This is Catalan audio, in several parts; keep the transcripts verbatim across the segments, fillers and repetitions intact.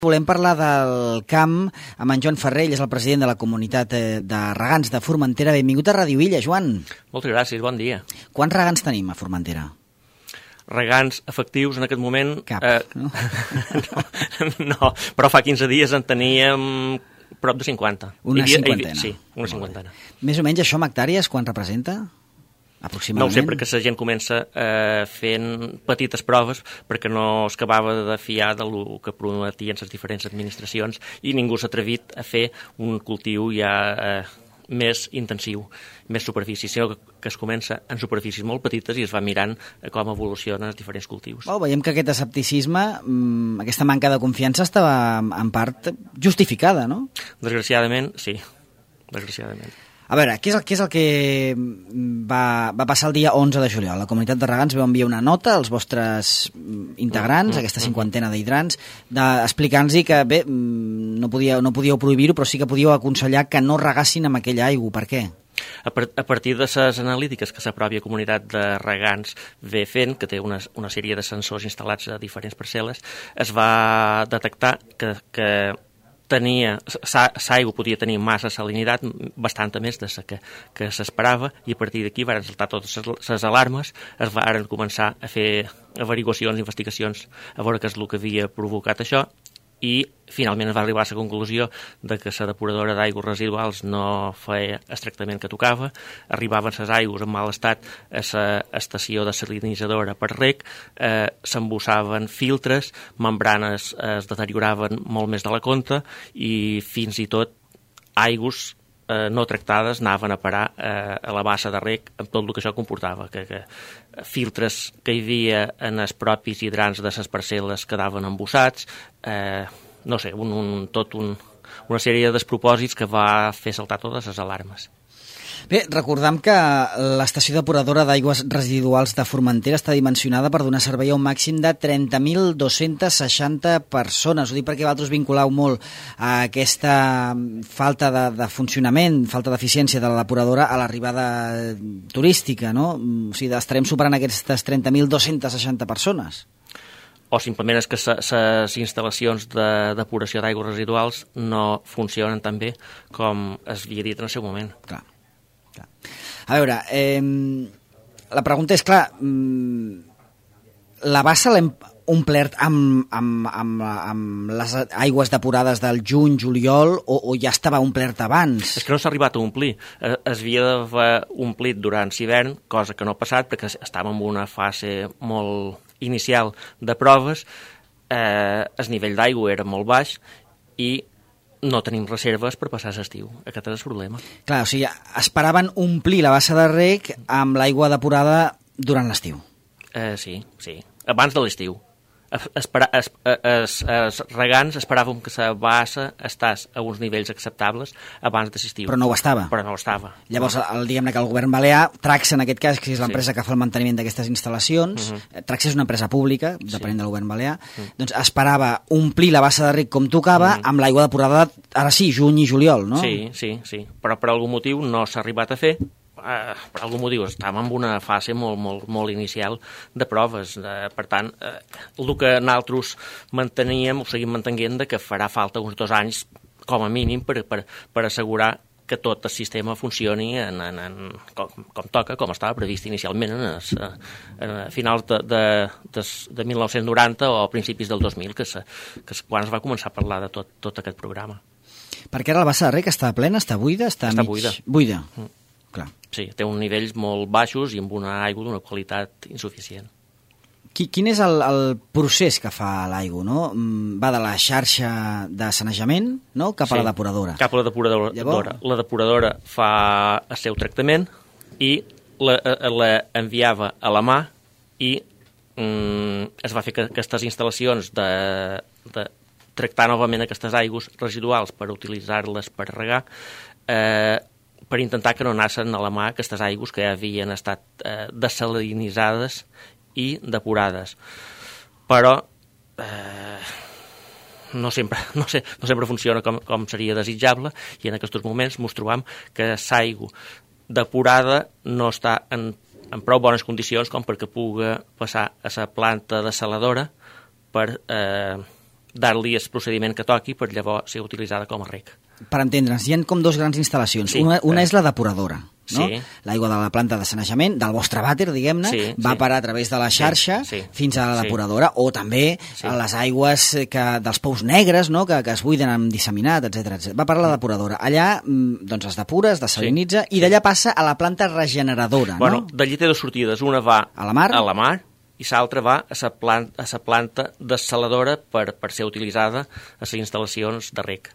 Volem parlar del camp amb en Joan Ferrer, ell és el president de la comunitat de regants de Formentera. Benvingut a Ràdio Illa, Joan. Moltes gràcies, bon dia. Quants regants tenim a Formentera? Regants efectius en aquest moment... Cap, eh, no? no? No, però fa quinze dies en teníem prop de cinquanta. Una havia, cinquantena. Sí, una cinquantena. Més o menys això amb hectàrees, quan representa? No ho sé, perquè la gent comença eh, fent petites proves perquè no es acabava de fiar del que prometien les diferents administracions i ningú s'ha atrevit a fer un cultiu ja eh, més intensiu, més superfície, sinó que, que es comença en superfícies molt petites i es va mirant com evolucionen els diferents cultius. Oh, veiem que aquest escepticisme, aquesta manca de confiança estava en part justificada, no? Desgraciadament, sí, desgraciadament. A veure, què és el, què és el que va, va passar el dia onze de juliol? La comunitat de regants vau enviar una nota als vostres integrants, mm, aquesta cinquantena d'hidrants, explicant-los que bé, no, podia, no podíeu prohibir-ho, però sí que podíeu aconsellar que no regassin amb aquella aigua. Per què? A, par a partir de les analítiques que la pròpia comunitat de regants ve fent, que té una, una sèrie de sensors instal·lats a diferents parcel·les, es va detectar que, que tenia, l'aigua podia tenir massa salinitat, bastanta més de la que, que s'esperava, i a partir d'aquí van saltar totes les alarmes, es van començar a fer averiguacions, investigacions, a veure què és el que havia provocat això, i finalment es va arribar a la conclusió de que la depuradora d'aigües residuals no feia el tractament que tocava, arribaven les aigües en mal estat a l'estació desalinitzadora per reg, eh, s'embussaven filtres, membranes es deterioraven molt més de la compte i fins i tot aigües eh, no tractades anaven a parar eh, a la bassa de reg amb tot el que això comportava, que, que filtres que hi havia en els propis hidrants de les parcel·les quedaven embussats, eh, no sé, un, un, tot un, una sèrie de despropòsits que va fer saltar totes les alarmes. Bé, recordem que l'estació depuradora d'aigües residuals de Formentera està dimensionada per donar servei a un màxim de trenta mil dos-centes seixanta persones. Ho dic perquè vosaltres vinculau molt a aquesta falta de, de funcionament, falta d'eficiència de la depuradora a l'arribada turística, no? O sigui, estarem superant aquestes trenta mil dos-centes seixanta persones. O simplement és que les instal·lacions de depuració d'aigües residuals no funcionen tan bé com es havia dit en el seu moment. Clar. A veure, eh, la pregunta és, clar, la bassa l'hem omplert amb, amb, amb, amb les aigües depurades del juny, juliol, o, o ja estava omplert abans? És que no s'ha arribat a omplir. Es havia d'haver omplit durant l'hivern, cosa que no ha passat, perquè estàvem en una fase molt inicial de proves, eh, el nivell d'aigua era molt baix i no tenim reserves per passar l'estiu. Aquest és el problema. Clar, o sigui, esperaven omplir la bassa de reg amb l'aigua depurada durant l'estiu. Eh, sí, sí. Abans de l'estiu. Espera, es, es, es regants esperàvem que la bassa estàs a uns nivells acceptables abans de l'estiu. Però no ho estava. Però no ho estava. Llavors, el, diguem-ne que el govern balear, Traxa en aquest cas, que és l'empresa sí. que fa el manteniment d'aquestes instal·lacions, uh -huh. Traxa és una empresa pública, depenent sí. del govern balear, uh -huh. doncs esperava omplir la bassa de reg com tocava uh -huh. amb l'aigua depurada, ara sí, juny i juliol, no? Sí, sí, sí. Però per algun motiu no s'ha arribat a fer. Uh, per algun motiu estàvem en una fase molt, molt, molt inicial de proves, uh, per tant uh, el que nosaltres manteníem ho seguim mantenint de que farà falta uns dos anys com a mínim per, per, per assegurar que tot el sistema funcioni en, en, en, com, com toca, com estava previst inicialment en els, a finals de, de, de, de mil nou-cents noranta o a principis del dos mil, que, se, que quan es va començar a parlar de tot, tot aquest programa. Perquè ara la bassa de reg està plena, està buida? Està, està mig... buida. Buida. Mm. Clar. Sí, té uns nivells molt baixos i amb una aigua d'una qualitat insuficient. Quin és el, el procés que fa l'aigua, no? Va de la xarxa de sanejament, no?, cap sí, a la depuradora. Cap a la depuradora. Llavors... La depuradora fa el seu tractament i la, la enviava a la mà i mm, es va fer que aquestes instal·lacions de, de tractar novament aquestes aigües residuals per utilitzar-les per regar, eh, per intentar que no anessin a la mà aquestes aigües que ja havien estat eh, desalinitzades i depurades. Però eh, no, sempre, no, sé, no sempre funciona com, com seria desitjable i en aquests moments ens trobam que l'aigua depurada no està en, en prou bones condicions com perquè pugui passar a la planta desaladora per eh, dar-li el procediment que toqui per llavors ser utilitzada com a rec. Per entendre'ns, hi ha com dos grans instal·lacions. Sí, una una eh... és la depuradora, no? Sí. L'aigua de la planta de sanejament, del vostre vàter, diguem-ne, sí, va sí. parar a través de la xarxa sí, sí. fins a la depuradora, sí. o també sí. a les aigües que, dels pous negres, no? que, que es buiden amb disseminat, etcètera etcètera. Va parar a la depuradora. Allà doncs, es depura, es desalinitza, sí. i d'allà passa a la planta regeneradora. Bueno, no? D'allí té dues sortides. Una va a la mar, a la mar i l'altra va a la planta, a la planta dessaladora per, per ser utilitzada a les instal·lacions de rec.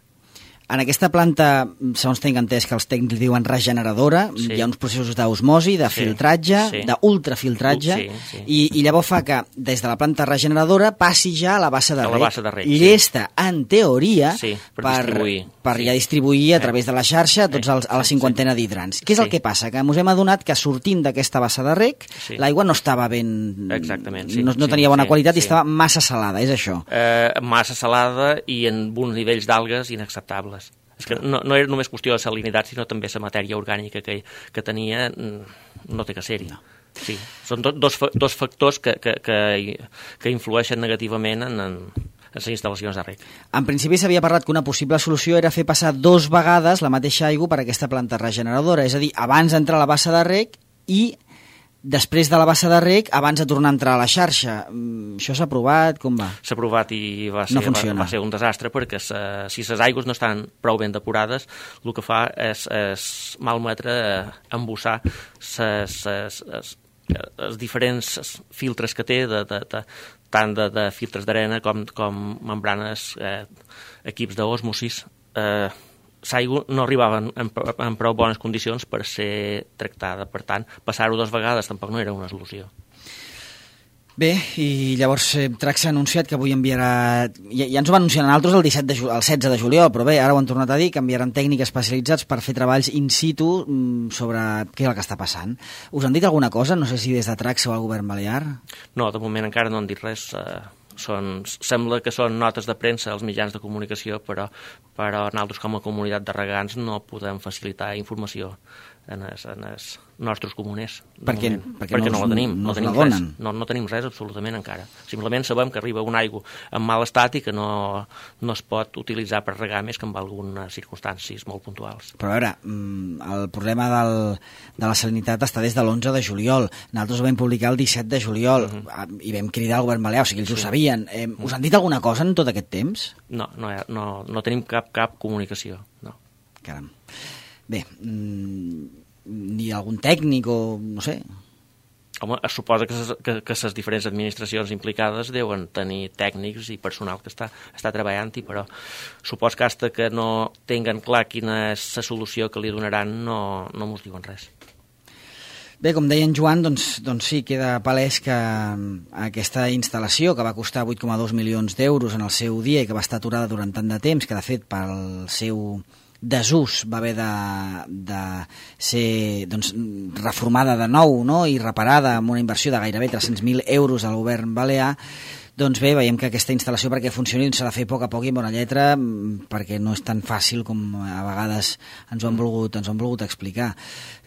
En aquesta planta, segons tinc entès que els tècnics diuen regeneradora, sí. hi ha uns processos d'osmosi, de sí. filtratge, sí. d'ultrafiltratge, sí, sí. I, i llavors fa que des de la planta regeneradora passi ja a la bassa de rec. Bassa de rec llesta, sí. en teoria, sí, per, per distribuir, per sí. ja distribuir a través de la xarxa tots els, a la cinquantena sí. d'hidrants. Què és sí. el que passa? Que ens hem adonat que sortint d'aquesta bassa de rec, sí. l'aigua no estava ben... Exactament, sí. No, no tenia bona sí, qualitat sí. i estava massa salada, és això? Eh, massa salada i en uns nivells d'algues inacceptables. És que no, no era només qüestió de salinitat, sinó també la matèria orgànica que, que tenia no té que ser-hi. No. Sí. Són do, dos, dos factors que, que, que, que influeixen negativament en, en, en les instal·lacions de rec. En principi s'havia parlat que una possible solució era fer passar dos vegades la mateixa aigua per aquesta planta regeneradora, és a dir, abans d'entrar a la bassa de rec i després de la bassa de rec, abans de tornar a entrar a la xarxa. Això s'ha aprovat? Com va? S'ha aprovat i va ser, no va, va ser un desastre, perquè se, si les aigües no estan prou ben depurades, el que fa és, és malmetre, embussar els diferents filtres que té, de, de, de, tant de, de filtres d'arena com, com membranes, eh, equips d'osmosis. Eh, l'aigua no arribava en, en, en prou bones condicions per ser tractada. Per tant, passar-ho dues vegades tampoc no era una solució. Bé, i llavors eh, Trax ha anunciat que avui enviarà... Ja, ja ens ho van anunciar nosaltres el, disset de, el setze de juliol, però bé, ara ho han tornat a dir, que enviaran tècnics especialitzats per fer treballs in situ sobre què és el que està passant. Us han dit alguna cosa? No sé si des de Trax o el govern balear? No, de moment encara no han dit res. Eh... Són, sembla que són notes de premsa als mitjans de comunicació, però, però nosaltres com a comunitat de regants no podem facilitar informació en els, en els nostres comuners. Per què? Perquè, perquè no, no la tenim, no, no, tenim la res, no, no tenim res absolutament encara. Simplement sabem que arriba una aigua en mal estat i que no, no es pot utilitzar per regar més que en algunes circumstàncies molt puntuals. Però a veure, el problema del, de la salinitat està des de l'onze de juliol. Nosaltres ho vam publicar el disset de juliol uh -huh. i vam cridar al govern balear, o sigui, ells sí. ho sabien. Eh, us han dit alguna cosa en tot aquest temps? No, no, no, no tenim cap, cap comunicació, no. Caram. Bé, mmm, ni algun tècnic o no sé... Home, es suposa que ses, que, que les diferents administracions implicades deuen tenir tècnics i personal que està, està treballant-hi, però supos que fins que no tinguen clar quina és la solució que li donaran no, no mos diuen res. Bé, com deia en Joan, doncs, doncs sí, queda palès que aquesta instal·lació, que va costar vuit coma dos milions d'euros en el seu dia i que va estar aturada durant tant de temps, que de fet pel seu desús va haver de, de ser doncs, reformada de nou, no? I reparada amb una inversió de gairebé tres-cents mil euros al govern balear. Doncs bé, veiem que aquesta instal·lació perquè funcioni s'ha de fer a poc a poc i amb bona lletra, perquè no és tan fàcil com a vegades ens ho han volgut, ens ho han volgut explicar.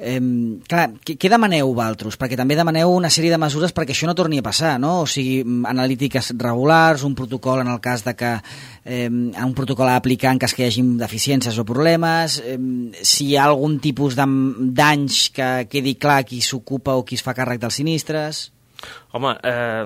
Eh, clar, què, què demaneu vosaltres? Perquè també demaneu una sèrie de mesures perquè això no torni a passar, no? O sigui, analítiques regulars, un protocol en el cas de que eh, un protocol a aplicar en cas que hi hagi deficiències o problemes, eh, si hi ha algun tipus de danys que quedi clar qui s'ocupa o qui es fa càrrec dels sinistres. Home, eh...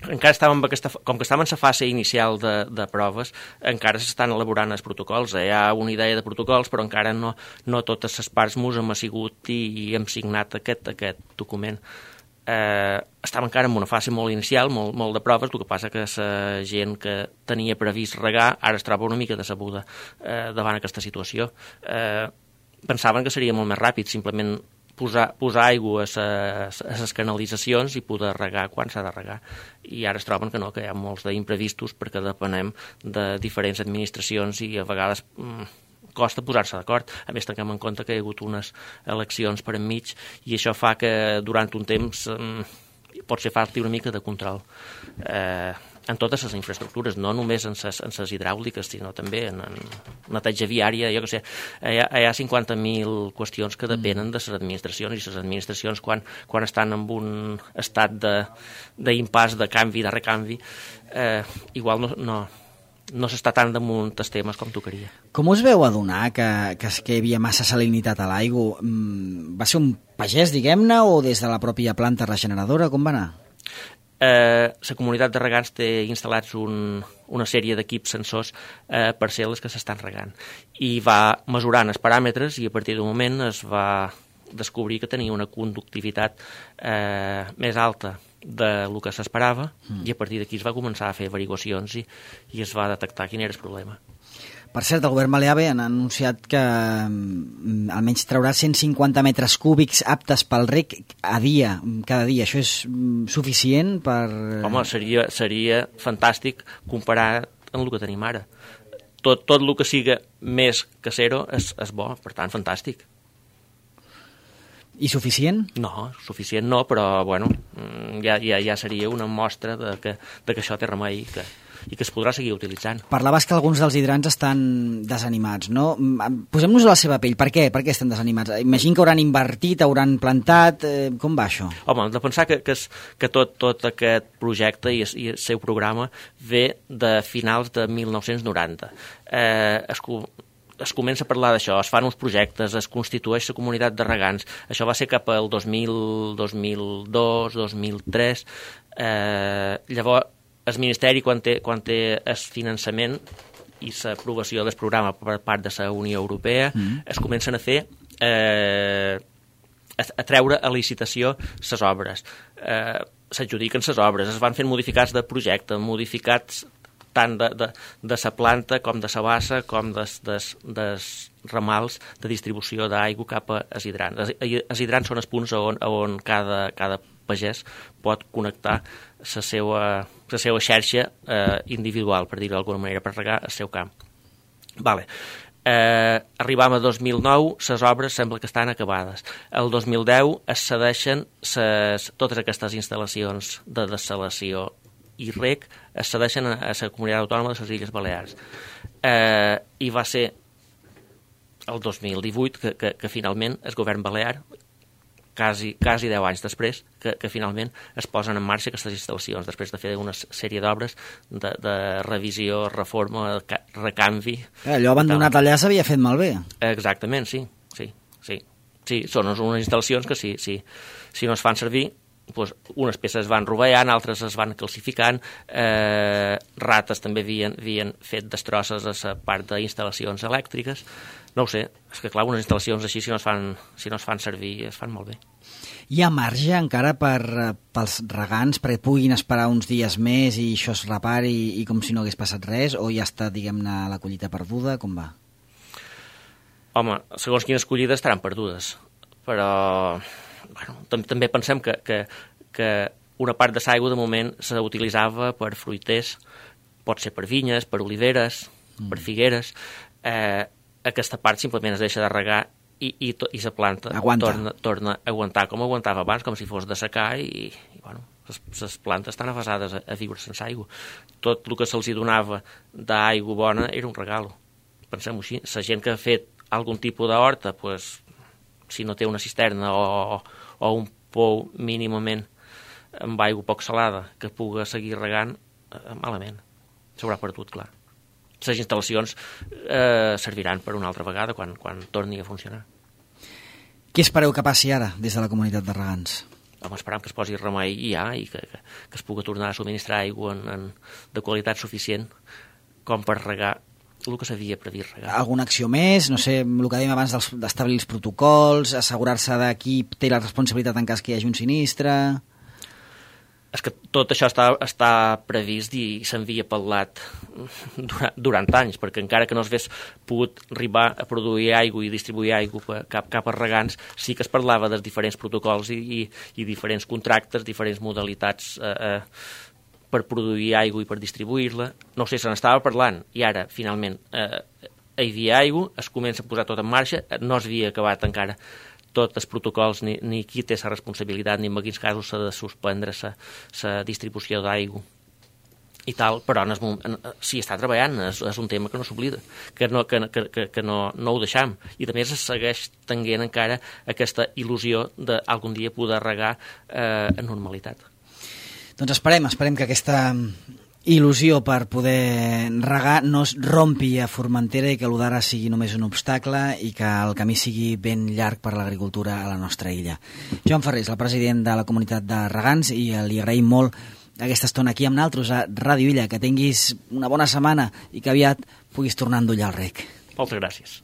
encara estàvem aquesta, com que estàvem en la fase inicial de, de proves, encara s'estan elaborant els protocols. Hi ha una idea de protocols, però encara no, no totes les parts mos hem assigut i, i hem signat aquest, aquest document. Eh, estàvem encara en una fase molt inicial, molt, molt de proves, el que passa que la gent que tenia previst regar ara es troba una mica decebuda eh, davant aquesta situació. Eh, pensaven que seria molt més ràpid, simplement posar, posar aigua a les canalitzacions i poder regar quan s'ha de regar. I ara es troben que no, que hi ha molts d'imprevistos perquè depenem de diferents administracions i a vegades mm, costa posar-se d'acord. A més, tinguem en compte que hi ha hagut unes eleccions per enmig i això fa que durant un temps mm, pot ser falti una mica de control. Eh, en totes les infraestructures, no només en les, en les hidràuliques, sinó també en, en neteja viària, jo què sé, hi ha, hi ha cinquanta mil qüestions que depenen de les administracions, i les administracions quan, quan estan en un estat d'impàs, de, de canvi, de recanvi, eh, igual no, no, no s'està tan damunt els temes com tocaria. Com us veu adonar que, que, que hi havia massa salinitat a l'aigua? Va ser un pagès, diguem-ne, o des de la pròpia planta regeneradora? Com va anar? Eh, la comunitat de regants té instal·lats un, una sèrie d'equips sensors eh, parcel·les que s'estan regant. I va mesurant els paràmetres i a partir d'un moment es va descobrir que tenia una conductivitat eh, més alta del que s'esperava mm. i a partir d'aquí es va començar a fer averiguacions i, i es va detectar quin era el problema. Per cert, el govern balear han anunciat que mm, almenys traurà cent cinquanta metres cúbics aptes pel reg a dia, cada dia. Això és mm, suficient per... Home, seria, seria fantàstic comparar amb el que tenim ara. Tot, tot el que siga més que zero és, és bo, per tant, fantàstic. I suficient? No, suficient no, però bueno, ja, ja, ja seria una mostra de que, de que això té remei i que, i que es podrà seguir utilitzant. Parlaves que alguns dels hidrants estan desanimats, no? Posem-nos a la seva pell. Per què? Per què estan desanimats? Imagino que hauran invertit, hauran plantat... Eh, com va això? Home, hem de pensar que, que, es, que tot, tot aquest projecte i, i el seu programa ve de finals de mil nou-cents noranta. Eh, es, es comença a parlar d'això, es fan uns projectes, es constitueix la comunitat de regants. Això va ser cap al dos mil, dos mil dos, dos mil tres. Eh, llavors, el Ministeri, quan té, quan té el finançament i l'aprovació del programa per part de la Unió Europea, mm. es comencen a fer, eh, a, a treure a licitació les obres. Eh, s'adjudiquen les obres, es van fent modificats de projecte, modificats tant de, de, de la planta com de la bassa com dels, dels, dels ramals de distribució d'aigua cap als hidrants. Els hidrants són els punts on, on cada, cada pagès pot connectar la seva, la seva xarxa eh, individual, per dir-ho d'alguna manera, per regar el seu camp. Vale. Eh, arribam a dos mil nou, les obres sembla que estan acabades. El dos mil deu es cedeixen ses, totes aquestes instal·lacions de dessalació i reg es cedeixen a la comunitat autònoma de les Illes Balears. Eh, I va ser el dos mil divuit que, que, que finalment el govern balear, quasi, quasi deu anys després, que, que finalment es posen en marxa aquestes instal·lacions, després de fer una sèrie d'obres de, de revisió, reforma, recanvi. Allò abandonat allà s'havia fet malbé. Exactament, sí. sí, sí. sí són unes instal·lacions que si, si, si no es fan servir, doncs unes peces es van rovellant, altres es van calcificant, eh, rates també havien, havien fet destrosses a la part d'instal·lacions elèctriques. No ho sé, és que clar, unes instal·lacions així si no es fan, si no es fan servir es fan molt bé. Hi ha marge encara per, pels regants perquè puguin esperar uns dies més i això es repari i, i com si no hagués passat res, o ja està, diguem-ne, la collita perduda? Com va? Home, segons quines collides estaran perdudes, però bueno, també pensem que, que, que una part de l'aigua de moment s'utilitzava per fruiters, pot ser per vinyes, per oliveres, mm. per figueres. Eh, aquesta part simplement es deixa de regar i, i, to, i la planta torna, torna a aguantar com aguantava abans, com si fos de secar i, i bueno, les plantes estan avasades a, a viure sense aigua. Tot el que se'ls donava d'aigua bona era un regalo. Pensem-ho així. La gent que ha fet algun tipus d'horta, pues, si no té una cisterna o, o un pou mínimament amb aigua poc salada que puga seguir regant, eh, malament. S'haurà perdut, clar. Les instal·lacions eh, serviran per una altra vegada quan, quan torni a funcionar. Què espereu que passi ara des de la comunitat de regants? Home, esperam que es posi remei ja i que, que, que es pugui tornar a subministrar aigua en, en, de qualitat suficient com per regar el que s'havia previst regar. Alguna acció més? No sé, el que dèiem abans d'establir els protocols, assegurar-se de qui té la responsabilitat en cas que hi hagi un sinistre... És que tot això està, està previst i s'havia parlat durant, durant anys, perquè encara que no s'hagués pogut arribar a produir aigua i distribuir aigua cap, cap a regants, sí que es parlava dels diferents protocols i, i, i diferents contractes, diferents modalitats eh, eh, per produir aigua i per distribuir-la. No sé, se n'estava parlant i ara, finalment, eh, hi havia aigua, es comença a posar tot en marxa, no s'havia acabat encara tots els protocols, ni, ni qui té la responsabilitat, ni en quins casos s'ha de suspendre la distribució d'aigua i tal, però en el moment, s'hi està treballant, és, és un tema que no s'oblida, que, no, que, que, que no, no ho deixam, i a més es segueix tenint encara aquesta il·lusió d'algun dia poder regar eh, en normalitat. Doncs esperem, esperem que aquesta il·lusió per poder regar no es rompi a Formentera i que l'U d'ara sigui només un obstacle i que el camí sigui ben llarg per l'agricultura a la nostra illa. Joan Ferrés, el president de la comunitat de regants, i li agraïm molt aquesta estona aquí amb naltros a Ràdio Illa. Que tinguis una bona setmana i que aviat puguis tornar a endollar el rec. Moltes gràcies.